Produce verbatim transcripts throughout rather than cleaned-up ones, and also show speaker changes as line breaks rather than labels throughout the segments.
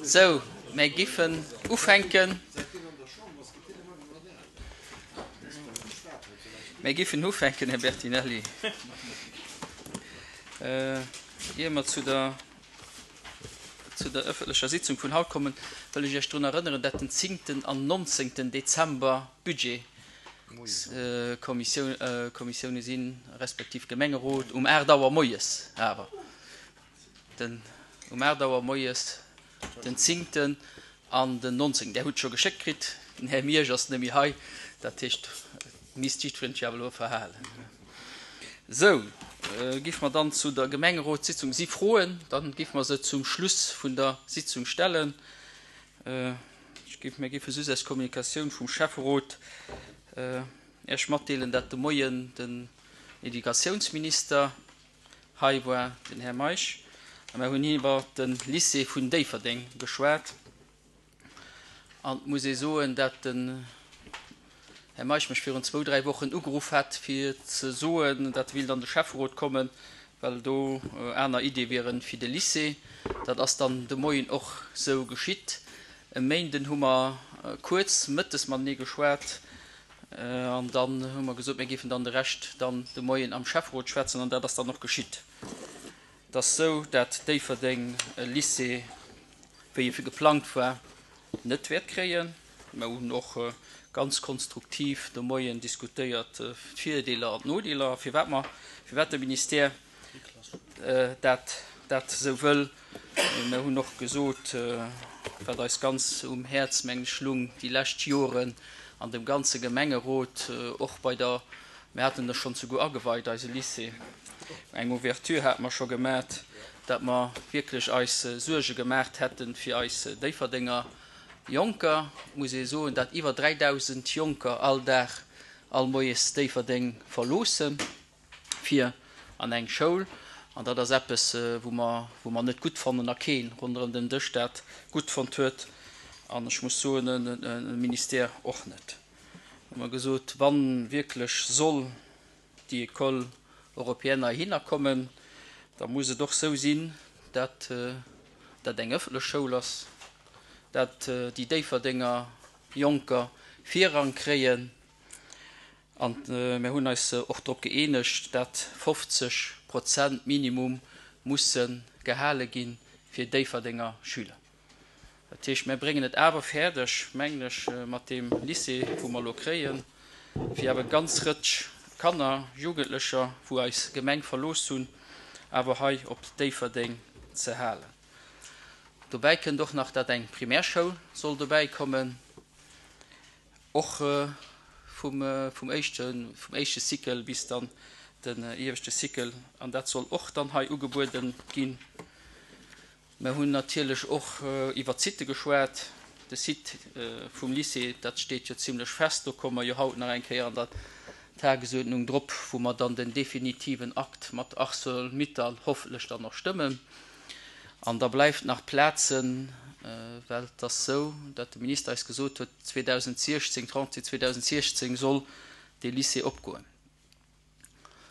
Sou, mär giffen ufänken. Mär giffen ufänken, Här Bertinelli, ier mer zu der, zu der ëffentlecher Sitzung vun haut kommen, wëll ech Iech drun erënneren, dat den zéngten an nonzéngten Dezember Budgetskommissioune sinn, respektiv Gemengerot, um aacht Auer moies awer. Den um aacht Auer moies den zéngten an den nonzéngten. Där hutt scho geschéckt kritt. Den Här Miersch ass net méi hei, dat heescht, et misst jiddwereen sech awer elo verhalen. Sou, giffe mer dann zu der Gemengerotssitzung. Si Froen? Dann giffe mer se zum Schluss vun der Sitzung stellen. Ech giff, mir giffe soss aus Kommunikatioun vum Schäfferot Iech matdeelen, dat de Moien den Educatiounsminister hei war, den Här Meisch, a mir hunn iwwer de Lycée vun Déifferdeng geschwat. An et muss ee soen, dat den Här Meisch mech virun zwou, dräi Wochen ugeruff hat, fir ze soen, dat e willt an de Schäfferot kommen, well do aner Iddie wieren fir de Lycée. Dat ass dann de Moien och sou geschitt. E Méinden hu mer kuerz mëttes matenee geschwat an dann hu mer gesot, mir géifen dann de Rescht dann de Moien am Schäfferot schwätzen an dat ass dann och geschitt. Et ass sou, dat Déifferdeng e Lycée, wéi e geplangt war, net wäert kréien. Mer hunn och ganz konstruktiv de Moien diskutéiert d'Virdeeler an d'Nodeeler, firwat mer, firwat de Ministère dat dat esou wëll. Mer hunn och gesot, wat eis ganz um Häerz, meng ech, lung déi lescht Joren an dem ganze Gemengerot, och bei der, mir haten e schonn souguer ageweit, eise Lycée, eng Ouverture hate mer scho gemat, dat mer wierklech eis Suerge gemaacht hätten fir eis Déifferdenger Jonker. Et muss ee soen, dat iwwer dräidausend Jonker all Dag, all Moies Déifferdeng verloossen fir an eng Schoul. An dat ass eppes, wou mer, wou mer net gutt fannen a kee ronderëm den Dësch dat gutt fonnt huet. An ech muss soen, de Ministère och net. Hu mer gesot, wa wierklech soll déi École européenne heihinner kommen, da muss et och sou sinn, dat dat eng ëffentlech Schoul ass, dat déi Déifferdenger Jonker Virrang kréien. An mir hunn eis och drop gëeenegt, dat fofzeg Prozent minimum musse gehale gi fir Déifferdenger Schüler. Dat heescht, mir bréngen et awer fäerdeg, mengen ech, mat deem Lycée, wou mer elo kréien, fir awer ganz Rëtsch Kanner, Jugendlecher, wou eis Gemeng verlooss hunn, awer hei op Déifferdeng ze halen. Dobäi kënnt och nach, dat eng Primärschoul soll dobäi kommen, och vum, vum éischte, vum éischte Cycle bis dann den ieweschte Cycle, an dat soll och dann hei ugebueden ginn. Mir hunn natierlech och iwwer d'Sitte geschwat. De Site vum Lycée, dat steet jo zimlech fest. Do komme mer jo haut nach eng Kéier an der Tagesuerdnung drop, wou mer dann den definitiven Akt mat Arcelor-Mittal hoffentlech dann och stëmmen. An da bleift nach Plazen, well et ass sou, datt de Minister eis gesot huet, zweedausentsiechzéng, d'Rentrée zweedausentsiechzéng soll dee Lycée opgoen.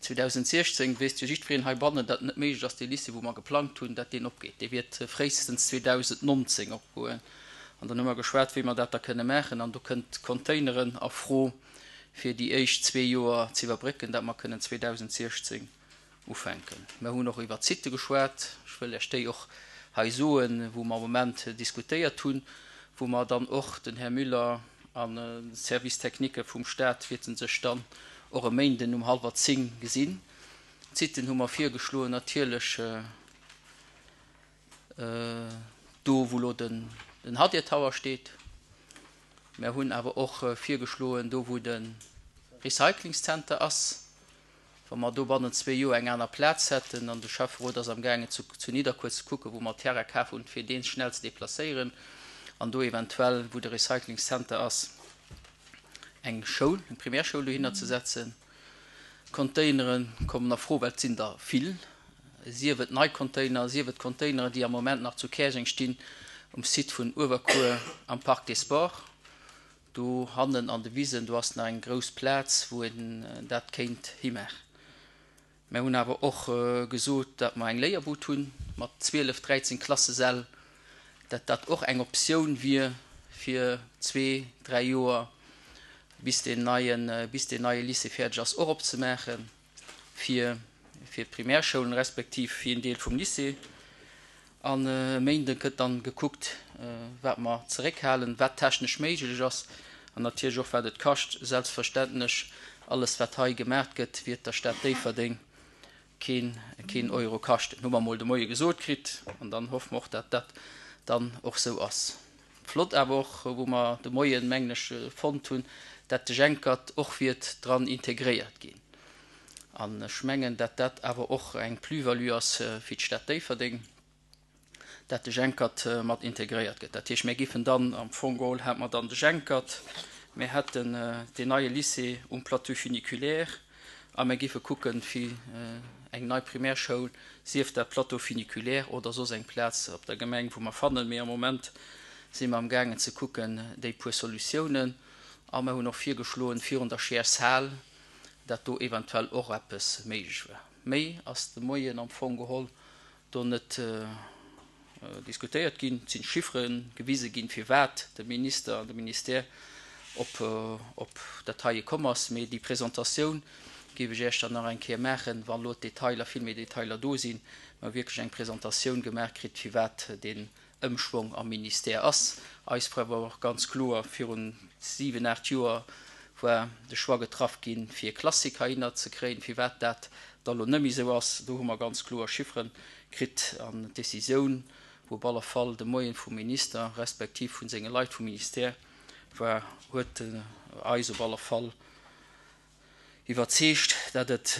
zweedausentsiechzéng weess jo jiddwereen heibannen, datt et net méiglech ass, dee Lycée, wou mer geplangt hunn, datt deen opgeet. Dee wäert fréistens zweedausendnonzéng opgoen. An dann hu mer geschwat, wéi mer dat da kënne maachen. An do kënnt d'Containeren a Fro, fir déi éischt zwee Joer ze iwwerbrécken, datt mer kënnen zweedausentsiechzéng ufänken. Mer hunn och iwwert d'Sitte geschwat. Ech wëll Iech déi och hei soen, wou mer am Moment diskutéiert hunn, wou mer dann och, den Här Müller an de Service technique vum Stat wäerte sech dann och e Méinden um hallwer zéng gesinn. D'Sitten hu mer virgeschloen, natierlech do, wou elo den Hadir Tower steet. Mer hunn awer och virgeschloen, do wou de Recyclingszenter ass, wa mer do bannent zwee Joer eng aner Plaz hätten, an de Schäfferot ass amgaangen zu zu Nidderkuer ze kucken, wou mer Terrain kaf hunn, fir dee schnell ze deplacéieren an do eventuell, wou de Recyclingszenter ass, eng Schoul, eng Primärschoul dohinner ze setzen. Containere kommen a Fro, well et sinn der vill, sief et nei Container, sief et Containeren, déi am Moment nach zu Käerjeng stinn, um Site vun Uewerkuer am Parc des Sports. Do hannen an de Wisen, do ass nach eng grouss Plaz, wou een dat kéint himaachen. Mir hunn awer och gesot, datt mer eng Léierbud hunn mat zwielef, dräizéng Klassesäll, datt dat och eng Optioun wier fir zwee, dräi Joer, bis deen neien, bis deen neie Lycée fäerdeg ass, och opzemaache fir, fir d'Primärschoulen respektiv fir een Deel vum Lycée. An e Méinde gëtt dann gekuckt, wat mer zeréckhalen, wat technesch méiglech ass an natierlech och wat et kascht. Selbstverständlech, alles wat hei gemaach gëtt, wiert der Stad Déifferdeng keen, keen Euro kaschten. Hu mer emol de Moie gesot kritt an dann hoffe mer och, dat dat dann och sou ass. Flott awer och, wou mer de Moien, mengen ech, fonnt hunn, dat de Jenkert och wiert dran integréiert ginn. An ech mengen, dat dat awer och eng Plus-value ass fir d'Stad Déifferdeng, dat de Jenkert mat integréiert gëtt. Dat heescht, mir giffen dann am Fong geholl, hätte mer dann de Jenkert, mir hätten deen neie Lycée um Plateau funiculaire a mir giffe kucken, fir eng nei Primärschoul, sief dat Plateau funiculaire oder soss eng Plaz op der Gemeng, wou mer fannen. Mee am Moment si mer amgaangen ze kucken, déi puer Solutiounen. A mer hunn och virgeschloen, virun der Scheershal, dat do eventuell och eppes méiglech wär. Méi ass de Moien am Fong geholl do net diskutéiert ginn. Et sinn Chiffere gewise ginn, firwat de Minister an de Ministère op, op dat heie komm ass. Mee déi Presentatioun géif ech Iech dann nach eng Kéier maachen, wann elo d'Detailer, vill méi Detailer do sinn, mer wierklech eng Presentatioun gemaach kritt, firwat deen Ëmschwong am Ministère ass. Eis Fro war och ganz kloer, virun siwen, aacht Joer war de Choix getraff ginn, fir Classic heihinner ze kréien. Firwat dat da lo net méi esou ass, do hu mer ganz kloer Chiffere kritt an d'Decisioun, wou op alle Fall de Moien vum Minister respektiv vu senge Leit vum Ministère war, huet eis op alle Fall iwwerzeegt, dat et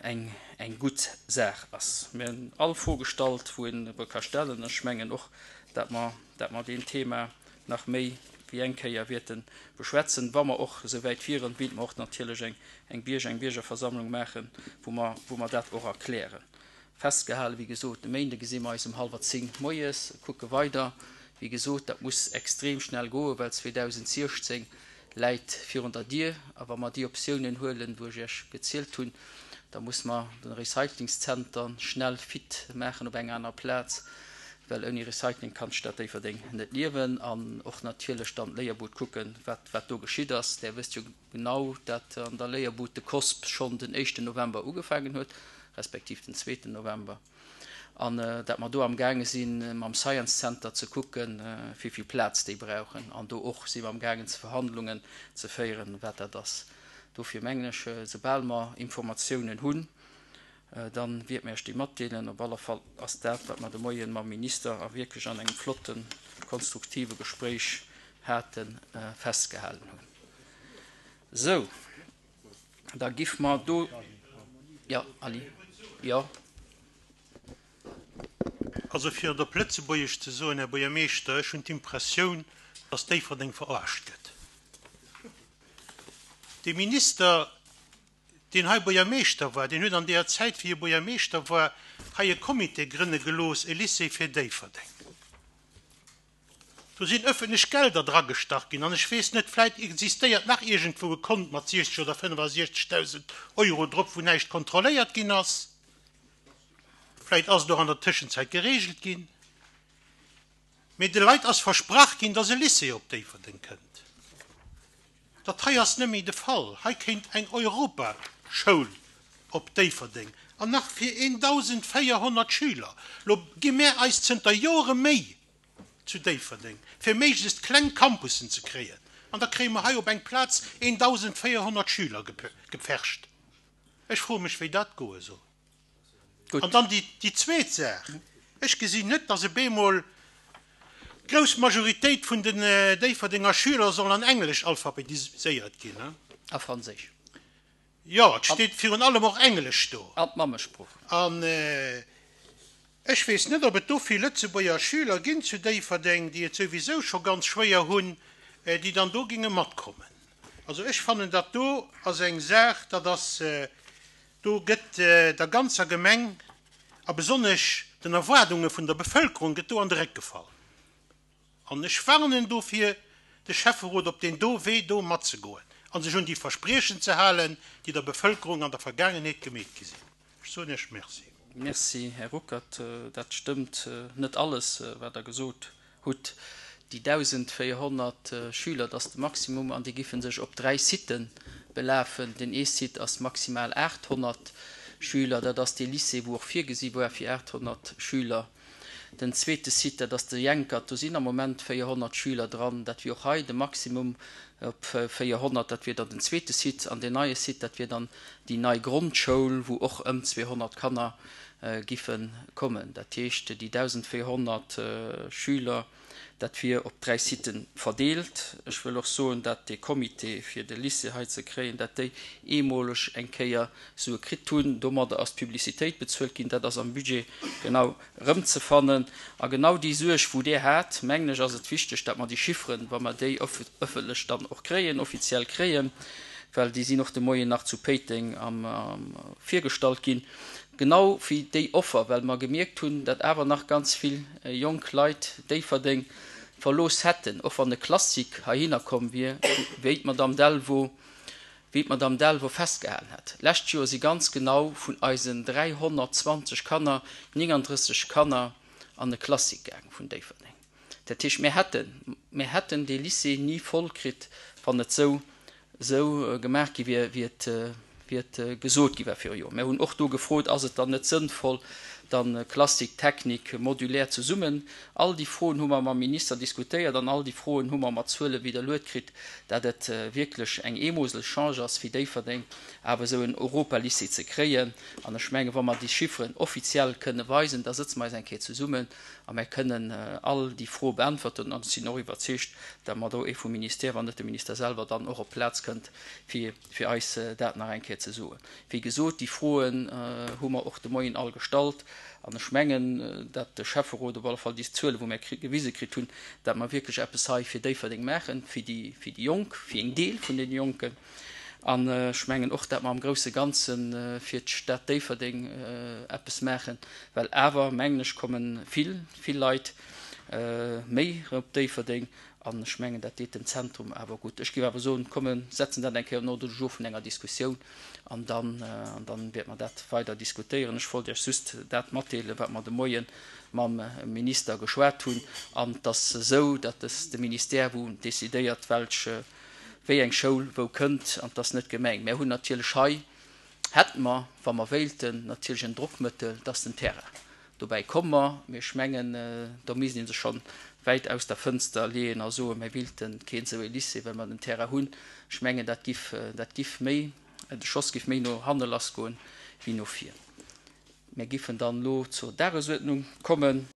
eng eng gutt Saach ass. Mir hunn all Fro gestallt, wou een e ka stellen. Ech mengen och, dat mer, dat mer deen Thema nach méi wéi eng Kéier wäerte beschwätzen. Wa mer och esouwäit wieren, wéilte mer och natierlech eng eng Bierger, eng Biergerversammlung maachen, wou mer, wou mer dat och erklären. Festgehalen, wéi gesot, de Méinde gesi mer eis um hallwer zéng moies, kucke weider. Wéi gesot, dat muss extrem schnell goen, well zweedausentsiechzéng läit virun der Dier. A wa mer déi Optiounen huelen, wou ech Iech gezielt hunn, da muss mer de Recyclingszenter schnell fit maachen op enger anerer Plaz, well ouni Recycling kann d'Stad Déifferdeng net liewen. An och natierlech dann d'Léierbud kucken, wat, wat do geschitt ass. Där wësst jo genau, dat an der Léierbud de COSP schonn den éischten November ugefaangen huet, respektiv den zweeten November, an dat mer do amgaange si mam Science Center ze kucken, wéi vill Plaz déi brauchen. An do och si mer amgaangen ze Verhandlungen ze féieren, wat dat ass. Dofir mengen ech, soubal mer Informatiounen hunn, da wiert mer Iech déi matdeelen. Op alle Fall ass dat, wat mer de Moien mam Minister a wierklech an engem flotten, konstruktive Gespréich haten, festgehalen hunn. Sou, da giff mer do, jo, Ali, jo.
Also fir et op Lëtzebuergesch ze soen, Här Buergermeeschter, ech hunn d'Impressioun, dass Déifferdeng verarscht gëtt. Dee Minister, deen hei Buergermeeschter war, deen huet an deeër Zäit, wéi e Buergermeeschter war, hei e Comité grënne gelooss, e Lycée fir Déifferdeng. Do sinn ëffentlech Gelder dragestach ginn an ech weess net, vläit existéiert nach iergendwou e Kont mat siechzeg oder fënnefasiechzegdausend Euro drop, wou näischt kontrolléiert ginn ass. Vläit ass et och an der Tëschenzäit geregelt ginn. Mee de Leit ass versprach ginn, dass e Lycée op Déifferdeng kënnt. Dat hei ass net méi de Fall. Hei kéint eng Europaschoul op Déifferdeng an nach fir eintausendvéierhonnert Schüler. Lo gi mär eis zënter Jore Méi zu Déifferdeng, fir méiglechst kleng Campussen ze kréien. An da kréie mer hei op eng Plaz eintausendvéierhonnert Schüler gepfercht. Ech froe mech, wéi dat goe soll.
Gutt.
An dann déi, déi zweet Saach, Ech gesinn net, dass e bemol d'grouss Majoritéit vun den Déifferdenger Schüler soll an Englesch alphabetiséiert ginn.
A Franséisch.
Jo, et steet virun allem och Englesch do.
An d'Mammesprooch.
An ech weess net, ob et do vill Lëtzebuerger Schüler ginn zu Déifferdeng, déi et souwisou scho ganz schwéier hunn, déi dann do géinge matkommen. Also ech fannen, dat do ass eng Saach, dat ass, do gëtt der ganzer Gemeng a besonnesch den Erwaardunge vun der Bevëlkerung gëtt do an de Réck gefall. An ech warnen dofir de Schäfferot, op deen do Wee do matzegoen a sech un déi Verspriechen ze halen, déi der Bevëlkerung an der Vergaangenheet gemeet gi sinn. Ech Ech soen Iech Merci.
Merci, Här Ruckert. Dat stëmmt net alles, wat Der gesot hutt. Déi dausendvéierhonnert Schüler, dat ass de Maximum, an déi giffen sech op dräi Siten belafen. Den ee Site ass maximal aathonnert Schüler, dat ass dee Lycée, wou och virgesi war fir aathonnert Schüler. Den zweete Site, dat ass de Jenkert, do sinn am Moment véierhonnert Schüler dran, dat wier och hei de Maximum op véierhonnert, dat wier dann den zweete Site. An deen neie Site, dat wier dann déi nei Grondschoul, wou och ëm zweehonnert Kanner giffe kommen. Dat heescht, déi dausendvéierhonnert Schüler, dat wier op dräi Siten verdeelt. Ech wëll och soen, dat dee Comité fir de Lycée hei ze kréien, dat déi eemoleg eng Kéier Sue kritt hunn. Domadder ass d'Publicitéit bezuelt ginn. Dat ass am Budget genau erëmzefannen. A genau déi Suerg, wou Dir hat, mengen ech, ass et wichteg, dat mer déi Chifferen, wa mer déi ëffentlech dann och kréien, offiziell kréien, well déi sinn och de Moien nach zu Péiteng am virgestallt ginn, genau wéi déi Offer, well mer gemierkt hunn, datt awer nach ganz vill jonk Leit Déifferdeng verlooss hätten, och wann e Classique heihinner komm wier, wéi d'Madame Delvaux, wéi d'Madame Delvaux festgehalen hat. Lescht Joer si ganz genau vun eisen dräihonnertzwanzeg Kanner néngandrësseg Kanner an e Classique gaang vun Déifferdeng. Dat heescht, mir hätten, mir hätten dee Lycée ni voll kritt, wann et sou, sou gemaach gi wier, wéi et, wéi et gesot gi war viru Joer. Mir hunn och do gefrot, ass et dann net sënnvoll, dann Klassik, Technik, modulär zesummen? All déi Froen hu mer mam Minister diskutéiert an all déi Froen hu mer mat Zuele widderluet kritt, dat et wierklech eng eemoseleg Chance ass fir Déifferdeng, awer esou en Europalycée ze kréien. An ech mengen, wa mer déi Chifferen offiziell kënne weisen, da sëtze mer eis eng Kéier zesummen a mer kënnen all déi Froe beäntwerten. An ech sinn och iwwerzeegt, dat mer do ee vum Ministère, wann net de Minister selwer, dann och op d'Plaz kënnt, fir fir eis dat nach eng Kéier ze soen. Wéi gesot, déi Froen hu mer och de Moien all gestallt. An ech mengen, dat de Schäfferot op alle Fall déi Zuele wou mir gewise kritt hunn, dat mer wierklech eppes hei fir Déifferdeng maachen, fir déi, fir déi Jonk, fir een Deel vun deene Jonken. An ech mengen och, dat mer am grousse Ganze fir d'Stad Déifferdeng eppes maachen, well awer, mengen ech, komme vill, vill Leit méi op Déifferdeng. An ech mengen, dat deet dem Zentrum awer gutt. Ech géif awer soen, komm, mir setzen dat eng Kéier un Ordre du jour vun enger Diskussioun an dann, an dann wäerte mer dat weider diskutéieren. Ech wollt Iech just dat matdeelen, wat mer de Moie mam Minister geschwat hunn. An et ass esou, dat ass de Ministère, wou decidéiert, welch, wéi eng Schoul wou kënnt, an et ass net d'Gemeng. Mir hunn natierlech hei, hätte mer, wa mer wéilten, natierlech en Drockmëttel, dat ass den Terrain. Dobäi komme mer, mee ech mengen, do misst ee sech schonn wäit aus der Fënster leeën a soen, mir wéilte keen esou ee Lycée, well mer den Terrain hunn. Ech mengen, dat giff, dat giff méi, de Schoss giff méi no hanne lassgoen wéi no vir. Mir giffen dann elo zur Dagesuerdnung kommen.